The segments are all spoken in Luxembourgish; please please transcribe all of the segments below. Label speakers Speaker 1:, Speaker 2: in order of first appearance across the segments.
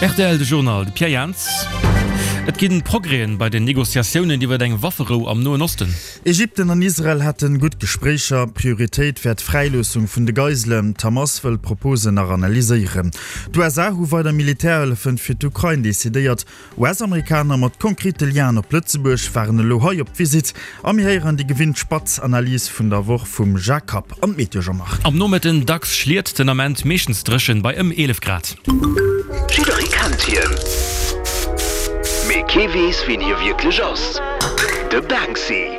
Speaker 1: Rtl, De Journal, de Pierre Jans. Et ginn Progrèsen bei den Negociatiounen iwwer eng Wafferou am Noen Osten.
Speaker 2: Ägypten an Israel hätten gutt Gespréicher. Prioritéit wär d'Fräiloossung vun de Geiselen. D'Hamas wëll d'Proposen nach analyséieren. D'USA hu weider Militärhëllefen fir d'Ukrain decidéiert. US-Amerikaner mat konkrete Lienen op Lëtzebuerg waren elo hei op Visitt a mir héieren déi gewinnt spatz Analys vun der Woch vum Jacques Kapp an d'Meteo Jean-Marc.
Speaker 1: Am Nomëtten dacks Schliet, den Ament meeschtens dréchen bei ëm 11 Grad.
Speaker 3: Jidderee kennt hien, mee kee weess wien hie wierklech ass, de Banksy.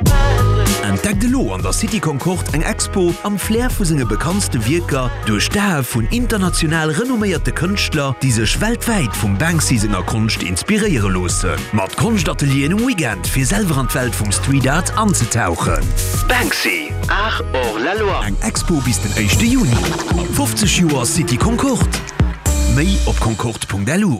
Speaker 3: Entdeckt elo an der City Concorde eng Expo am Flair vu senge bekanntste Wierker duerch d'Ae vun international renomméierte Kënschtler, déi sech weltwäit vum Banksy senger Konscht inspiréiere loossen. Mat Konschtatelieren um Weekend fir selwer an d'Welt vum Street Art anzetauchen. Banksy, Art hors la loi. Eng Expo bis den éischte Juni. 50 Joer City Concorde. Méi op concorde.lu.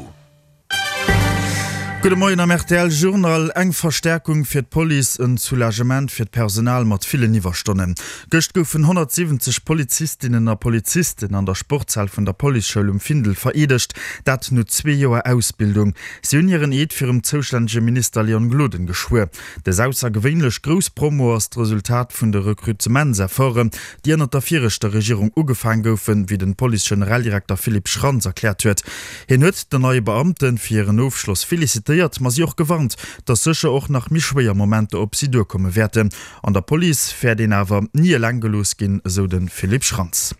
Speaker 2: Gudde Moien am rtl Journal. Eng Verstäerkung fir d'Police, en Soulagement fir d'Personal mat villen Iwwerstonnen. Gëscht goufen 170 Polizistinnen a Polizisten an der Sportshal vun der Policeschoul um Findel vereedegt. Dat no zwee Joer Ausbildung. Si hunn hiren Eed virum zoustännege Minister Leon Gloden geschwuer. Dës aussergewéinlech grouss Promo ass d'Resultat vun de Rekrutementsefforten, déi ënnert der viregter Regierung ugefaang goufen, wéi den Police-Generaldirekter Philippe Schrantz erkläert huet. Hien huet den neie Beamte fir hiren Ofschloss felicitéiert, ma si och gewarnt, datt sécher och nach méi schwéier Momenter op si duerkomme wäerten. An der Police wäert een awer ni eleng gelooss ginn, esou de Philippe Schrantz.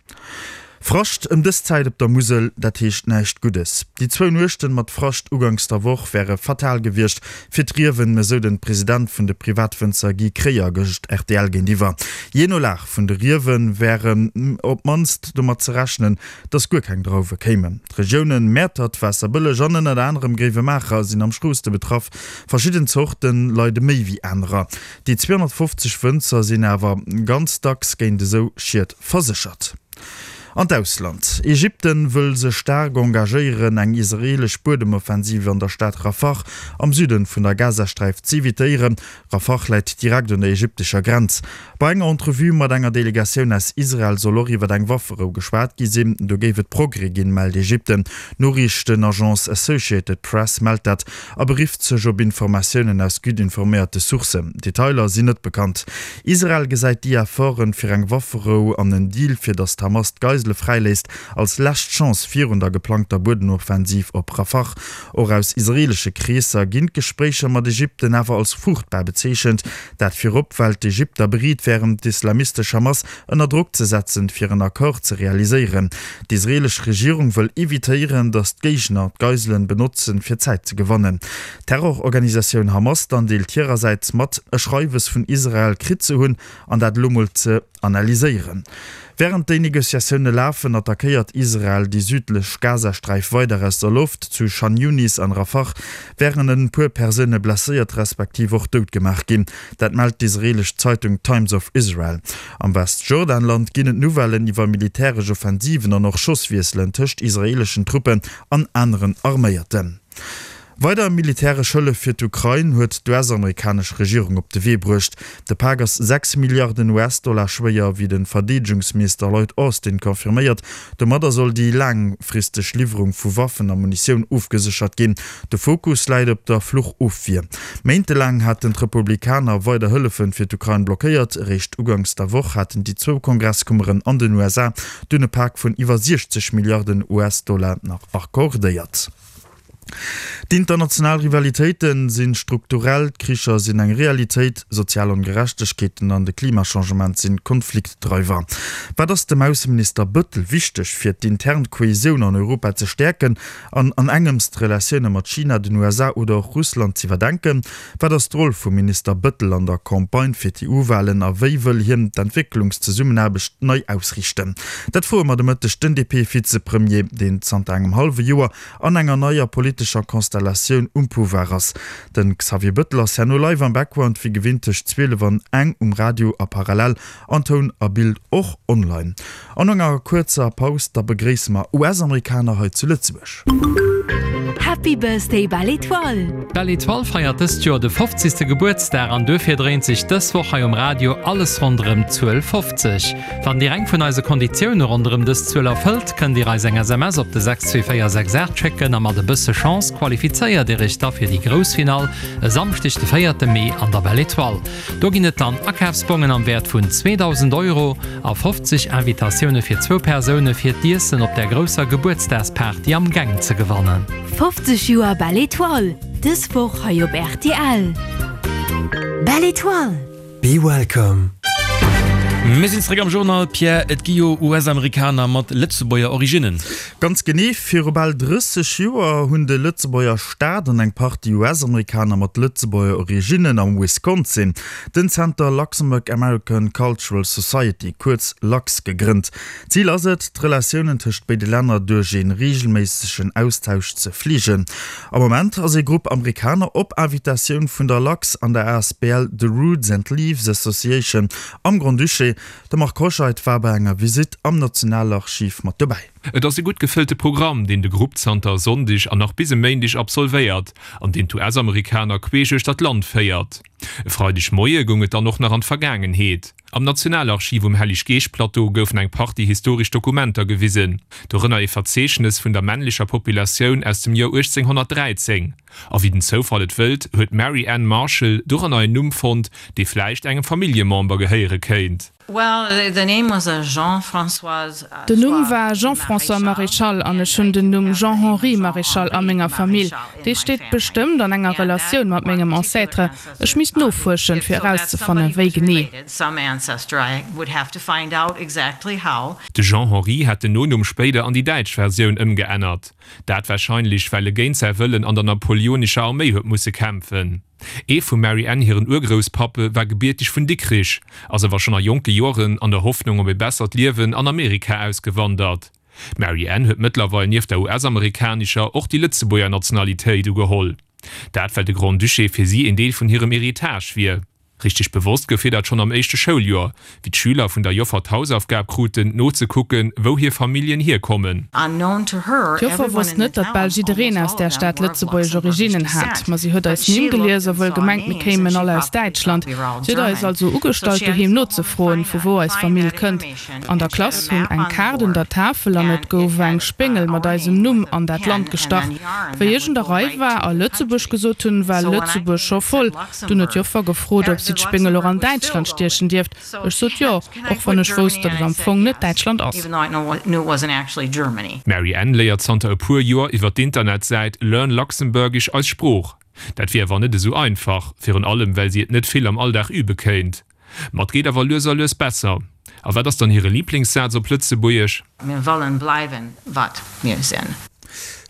Speaker 2: Frascht ëm dës Zäit op der Musel, dat heescht näischt Guddes. Déi zwou Nuechten mat Frascht uganks der Woch wäre fatal gewiescht fir d'Riewen, esou den President vun de Privatwënzer Guy Kreyer gëscht rtl géintiwwer. Jee no Lag vun de Riewe wäre op d'mannst domat ze rechnen, dass guer keng Drauwe kéimen. D'Regiounen Mäertert, Waasserbëlleg an ënnert anerem Gréiwemaacher sinn am strooste betraff. Verschidden Zorte leide méi wéi anerer. Déi 250 Wënzer sinn awer ganz dacks géint esou Schied verséchert. An d'Ausland, Ägypten wëll sech staark engagéieren, eng israeelesch Buedemoffensiv an der Stad Rafah am Süden vun der Gazasträif z'evitéieren. Rafah läit direkt un der ägyptescher Grenz. Bei enger Entrevue mat enger Delegatioun aus Israel soll och iwwer eng Wafferou geschwat gi sinn. Do géif et Progrès ginn, mellt Ägypten. D'Noriichtenagence Associated Press mellt dat a berifft sech op Informatiounen aus gutt informéierte Sourcen. Detailer sinn net bekannt. Israel gesäit déi Efforten fir eng Wafferou an en Deal, fir datt d'Hamas d'Geisele fräiléisst, als lescht Chance virun der geplangter Buedenoffensiv op Rafah. Och aus israeelesche Kreesser ginn d'Gespréicher mat Ägypten awer als fruchtbar bezeechent. Dat virop, well d'Ägypter bereet wären, d'islamistesch Hamas ënner Drock ze setzen, fir en Accord ze realiséieren. D'israeelesch Regierung wëll evitéieren, datt d'Géigner d'Geiselen benotzen, fir Zäit ze gewannen. D'Terrororganisatioun Hamas dann deelt hirersäits mat, e Schreiwes vun Israel kritt ze hunn an dat elo mol ze. Analyséieren. Wärend déi Negociatioune lafen, attackéiert Israel déi südlech Gazasträif weider aus der Loft. Zu Chan Yunis an Rafah wären en puer Persoune blesséiert respektiv och dout gemaach ginn. Dat mellt d'israeelesch Zeitung Times of Israel. Am Westjordanland ginn et Nouvellen iwwer militäresch Offensiven an och Schosswiesselen tëscht israeeleschen Truppen an aneren Arméierten. Weider militäresch Hëllef fir d'Ukrain huet d'US-amerikanesch Regierung op de Wee bruecht. De Pak ass 6 Milliarden US-Dollar schwéier, wéi de Verdeedegungsminister Lloyd Austin confirméiert. Domadder soll déi laangfristeg Liwwerung vu Waffen a Munitioun ofgeséchert ginn. De Fokus läit op der Fluchofwier. Méintelaang haten d'Republikaner weider Hëllefe fir d'Ukrain blockéiert. Eréischt uganks der Woch haten déi zwou Kongresskummeren an den USA dunn e Pak vun iwwer 60 Milliarden US-Dollar nach accordéiert. D'international Rivalitéite si strukturell, d'Kricher sinn eng Realitéit, sozial Ongerechtegkeeten an de Klimachangement sinn Konfliktdreiwer. Wat ass dem Ausseminister Bëttel wichteg, fir d'intern Kohesioun an Europa ze stäerken an an engems d'Relatioune mat China, den USA oder och Russland z'iwwerdenken? Wat ass d'Roll vum Minister Bëttel an der Campagne fir d'EU-Walen a wéi wëll hien d'Entwécklungszesummenaarbecht nei ausriichten? Dat froe mer de Mëtteg den DP-Vizepremier, deen zanter engem hallwe Joer an enger neier politescher Konstellatioun um Pouvoir ass. De Xavier Bëttel ass herno live am Background wéi gewinnt tëscht 12 an eng um Radio a parallel an Toun a Bild och online. An no enger kuerzer Paus da begréisse mer US-Amerikaner hei zu Lëtzebuerg.
Speaker 4: Happy Birthday Belle Etoile!
Speaker 1: D'Belle Etoile feiert dëst Joer de 50. Gebuertsdag an duerfir dréint sech dës Woch hei um Radio alles ronderëm d'Zuel 50. Wann Dir eng vun eise Konditioune ronderëm dës Zuel erfëllt, kënnt Dir eis eng SMS op de 62468 schécken a mat e bësse Chance qualifizéiert Dir Iech da fir déi grouss Finall e Samschdeg de 4 Mee an der Belle Etoile. Do ginn et dann Akafsbongen am Wäert vun 2.000 Euro a 50 Invitatioune fir zwou Persoune fir d'Iessen op der grousser Gebuertsdagsparty am Gäng ze gewannen.
Speaker 4: 50 Joer Belle Etoile, dës Woch hei op rtl. Belle Etoile!
Speaker 1: Be welcome. Mir sinn zeréck am Journal. Pierre, et gi jo US-Amerikaner mat Lëtzebuerger Originnen.
Speaker 2: Ganz genee, viru bal 30 Joer hunn de Lëtzebuerger Staat an eng Partie US-Amerikaner mat Lëtzebuerger Originnen am Wisconsin den Zenter Luxembourg American Cultural Society, kuerz LACS, gegrënnt. Zil ass et, d'Relatiounen tëscht béide Länner duerch ee reegelméissegen Austausch ze fleegen. Am Moment ass ee Grupp Amerikaner op Invitatioun vun der LACS an der asbl The Roots and Leaves Association am Grand-Duché. De Marc Hoscheid war bei enger Visitt am Nationalarchiv mat dobäi.
Speaker 5: Et ass e gutt gefëllte Programm, deen de Grupp zanter e Sonndeg an nach bis e Méindeg absolvéiert an deen d'US-Amerikaner queesch uechter d'Land féiert. E Freideg Moie goung et dann och nach an d'Vergaangenheet. Am Nationalarchiv um Hellig-Geescht-Plateau goufen eng Partie historesch Dokumenter gewisen, dorënner ee Verzeechnes vun der männlecher Populatioun aus dem Joer 1813. A wéi den Zoufall et wëllt, huet d'Mary Ann Marshall doranner en Numm fonnt, dee vläicht engem Familljemember gehéiere kéint.
Speaker 6: Den Numm war Jean-François Maréchal an ech hunn den Numm Jean-Henri Maréchal a menger Famill. Dee steet bestëmmt an enger Relatioun mat mengem Ancêtre. Ech misst nofuerschen, fir erauszefannen, wéi genee.
Speaker 5: De Jean-Henri hat den Nonumm spéider an déi däitsch Versioun ëmgeännert. Dat warscheinlech, well e géint säi Wëllen an der napoleonescher Arméi huet musse kämpfen. Ee vum Mary Ann hiren Urgrousspappe war gebierteg vun Dikrich, ass awer schonn a jonke Joren an der Hoffnung op e bessert Liewen an Amerika ausgewandert. D'Mary Ann huet mëttlerweil nieft der US-amerikanescher och déi Lëtzebuerger Nationalitéit ugeholl. Dat well de Grand-Duché fir si een Deel vun hirem Héritage wier. Richteg bewosst gouf hir dat schonn am éischte Schouljoer, wéi d'Schüler vun der Joffer d'Hausaufgab kruten, nozekucken, wou hir Familljen hierkommen.
Speaker 6: D'Joffer wosst net, datt bal jiddereen aus där Stad lëtzebuergesch Originnen hat. Ma si huet eis Nimm gelies a wuel gemengt, mir kéimen all aus Däitschland. Si huet eis also ugestallt, doheem nozefroen, vu wou eis Famill kënnt. An der Klass hung eng Kaart un der Tafel an et gouf eng Spéngel mat eisem Numm an dat Land gestach. Wéi ech un der Rei war a Lëtzebuerg gesot hunn, war Lëtzebuerg scho voll. Dunn huet d'Joffer gefrot, ob si d'Spéngel och an Däitschland stiechen dierft. Ech sot jo, och wann ech wousst, datt et am Fong net Däitschland ass.
Speaker 5: D'Mary Ann léiert zanter e puer Joer iwwer d'Internetsäit Learn Luxembourgish eis Sprooch. Dat wier awer net esou einfach, virun allem well si et net vill am Alldag übe kéint. Ma et geet awer lues a lues besser. A wat ass dann hire Liblingssaz op Lëtzebuergesch?
Speaker 7: Mir wëllen bleiwen, wat mir sinn.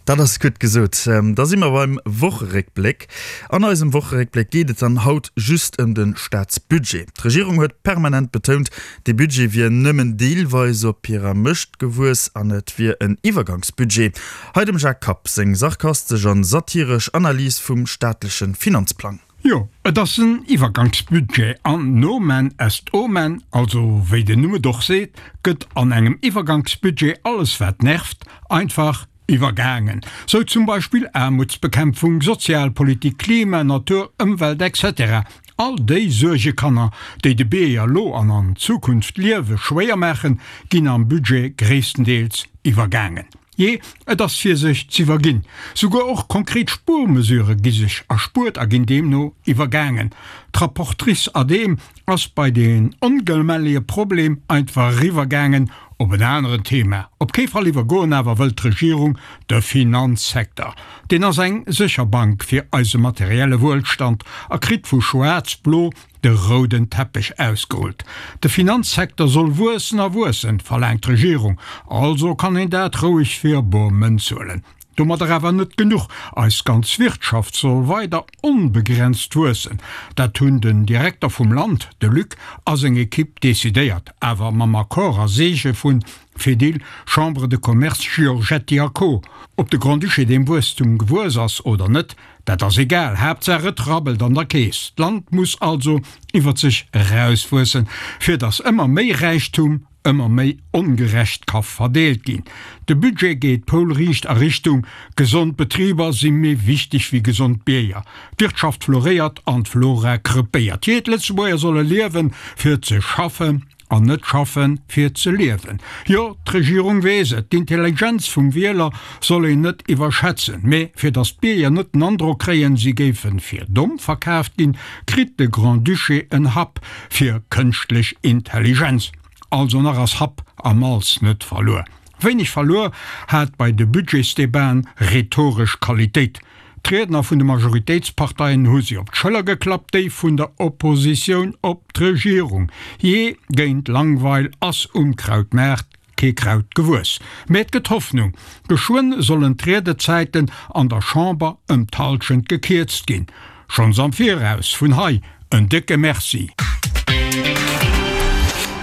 Speaker 2: Dat ass gutt gesot. Da si mer beim Wocheréckbléck. An eisem Wocheréckbléck geet et dann haut just ëm de Staatsbudget. D'Regierung huet permanent betount, dee Budget wier nëmmen deelweis op hirer Mëscht gewuess an et wier en Iwwergangsbudget. Hei dem Jacques Kapp seng sarkastesch an satiresch Analys vum staatleche Finanzplang.
Speaker 8: Jo, et ass en Iwwergangsbudget an nomen est omen, also wéi den Numm et och seet, gëtt an engem Iwwergangsbudget alles wat nervt einfach iwwergaangen. Sou zum Beispill Aarmutsbekämpfung, Sozialpolitik, Klima, Natur, Ëmwelt etc. All déi Suergekanner, déi de Bierger lo an an Zukunft d'Liewe schwéier maachen, ginn am Budget gréisstendeels iwwergaangen. Jee, et ass fir sech z'iwwerginn. Souguer och konkret Spuermesurë gi sech erspuert a ginn deemno iwwergaangen. D'Rapportrice ad dem ass bei deen ongelmellige Problem einfach eriwwergaangen op en aneren Thema. Op kee Fall iwwergoen awer wëllt d'Regierung de Finanzsecteur. Deen ass eng sécher Bank fir eise materielle Wuelstand a kritt vu Schwaarz-Blo de rouden Teppech ausgerullt. De Finanzsecteur soll wuessen a wuessen, verlaangt d'Regierung. Also kann een dat roueg fir bor Mënz huelen. Domadder awer net genuch, eis ganz Wirtschaft soll weider onbegrenzt wuessen. Dat hunn den Direkter vum Land, de Luc, a seng Ekipp decidéiert, awer mam Accord a Seege vun Fedil, Chambre de Commerce, Giorgetti a Co. Ob de Grand-Duché deem Wuesstum gewuess ass oder net, Dat ass egal, Haaptsaach et rabbelt an der Keess. D'Land muss also iwwert sech erauswuessen, fir datt ëmmer méi Räichtum. ëmmer méi ongerecht ka verdeelt ginn. De Budget geet poulriicht a Richtung, gesond Betriber si méi wichteg wéi gesond Bierger. D'Wirtschaft floréiert an d'Flora krepéiert. Jee, d'Lëtzebuerger solle liewen, fir ze schaffen an net schaffen, fir ze liewen. Jo, d'Regierung weess et, d'Intelligenz vum Wieler soll een net iwwerschätzen. Mee fir datt d'Bierger net den Androck kréien, si géife fir domm verkaaft ginn, kritt de Grand-Duché en Hub fir kënschtlech Intelligenz. Also nach ass Happ a Malz net verluer. Wéineg verluer hat bei de Budgetsdebaten rhetoresch Qualitéit. D'Riedner vun de Majoritéitsparteien hu si op d'Schëller geklappt, déi vun der Oppositioun op d'Regierung. Jee, géint Langweil ass um Krautmaart kee Kraut gewuess. Mä et gëtt Hoffnung, Geschwënn sollen d'Riedezäiten an der Chamber ëm d'Hallschent gekierzt ginn. Schonns am Viraus vun hei en décke Merci!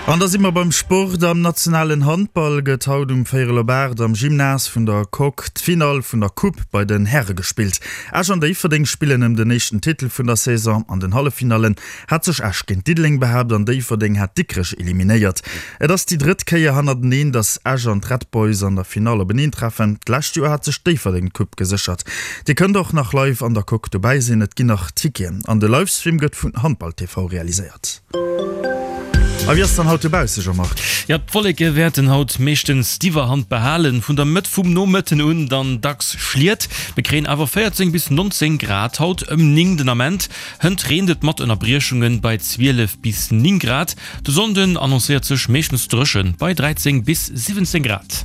Speaker 2: An da si mer beim Sport. Am nationalen Handball gëtt haut um véierel op 8 am Gymnase vun der Coque d'Finall vun der Coupe bei den Häre gespillt. Esch an Déifferdeng spillen ëm den éischten Titel vun der Saison. An den Halleffinallen hat sech Esch géint Diddeleng behaapt an Déifferdeng hat Dikrech eliminéiert. Et ass déi drëtt Kéier hannerteneen, datt Esch an d'Red Boys an der Finall openeen treffen. D'lescht Joer hat sech Déifferdeng d'Coupe geséchert. Dir kënnt och nach live an der Coque dobäi sinn, et ginn nach Ticketen an de Livestream gëtt vun Handball TV realiséiert. A wéi ass dann haut dobausse, Jean-Marc?
Speaker 9: Jo, d'Wolleke wäerten haut meeschtens d'Iwwerhand behalen, vun der Mëtt vum Nomëtten un dann dacks Schliet. Mir kréien awer 14 bis 19 Grad haut ëm 9 den Ament. Hënt reent et mat Ënnerbriechunge bei 12 bis 9 Grad. De Sonnden annoncéiert sech meeschtens dréchen bei 13 bis 17 Grad.